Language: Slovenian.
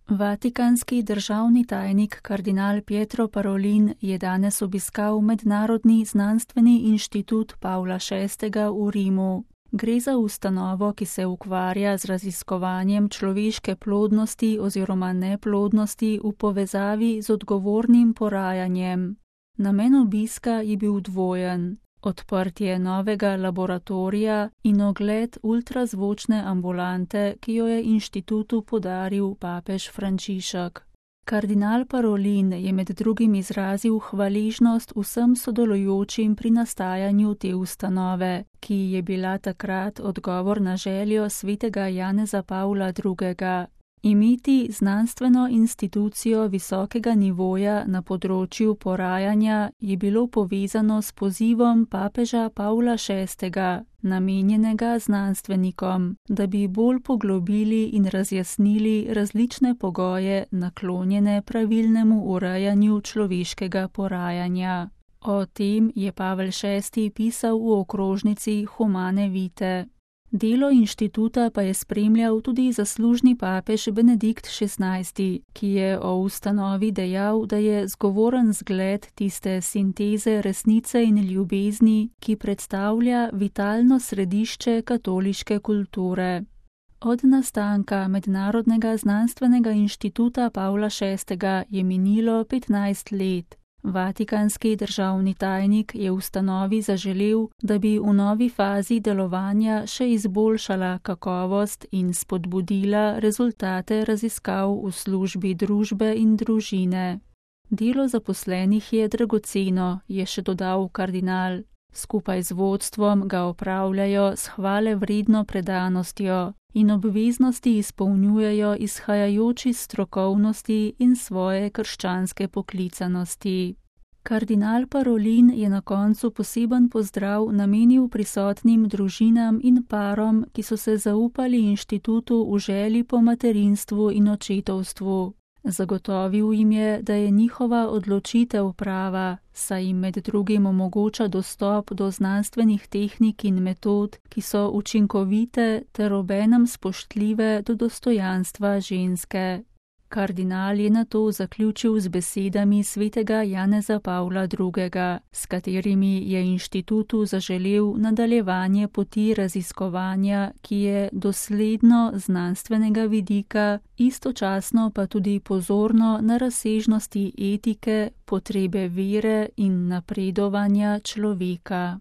Vatikanski državni tajnik kardinal Pietro Parolin je danes obiskal Mednarodni znanstveni inštitut Pavla VI. V Rimu. Gre za ustanovo, ki se ukvarja z raziskovanjem človeške plodnosti oziroma neplodnosti v povezavi z odgovornim porajanjem. Namen obiska je bil dvojen: odprtje novega laboratorija in ogled ultrazvočne ambulante, ki jo je inštitutu podaril papež Frančišek. Kardinal Parolin je med drugim izrazil hvaležnost vsem sodelujočim pri nastajanju te ustanove, ki je bila takrat odgovor na željo svetega Janeza Pavla II. Imeti znanstveno institucijo visokega nivoja na področju porajanja je bilo povezano s pozivom papeža Pavla VI., namenjenega znanstvenikom, da bi bolj poglobili in razjasnili različne pogoje naklonjene pravilnemu urejanju človeškega porajanja. O tem je Pavel VI. Pisal v okrožnici Humane Vitae. Delo inštituta pa je spremljal tudi zaslužni papež Benedikt XVI., ki je o ustanovi dejal, da je zgovoren zgled tiste sinteze resnice in ljubezni, ki predstavlja vitalno središče katoliške kulture. Od nastanka Mednarodnega znanstvenega inštituta Pavla VI. Je minilo 15 let. Vatikanski državni tajnik je ustanovi zaželel, da bi v novi fazi delovanja še izboljšala kakovost in spodbudila rezultate raziskav v službi družbe in družine. Delo zaposlenih je dragoceno, je še dodal kardinal. Skupaj z vodstvom ga opravljajo s hvalevredno predanostjo in obveznosti izpolnjujejo izhajajoč iz strokovnosti in svoje krščanske poklicanosti. Kardinal Parolin je na koncu poseben pozdrav namenil prisotnim družinam in parom, ki so se zaupali inštitutu v želji po materinstvu in očetovstvu. Zagotovil jim je, da je njihova odločitev prava, saj jim med drugim omogoča dostop do znanstvenih tehnik in metod, ki so učinkovite ter obenem spoštljive do dostojanstva ženske. Kardinal je nato zaključil z besedami svetega Janeza Pavla II., s katerimi je inštitutu zaželel nadaljevanje poti raziskovanja, ki je dosledno znanstvenega vidika, istočasno pa tudi pozorno na razsežnosti etike, potrebe vere in napredovanja človeka.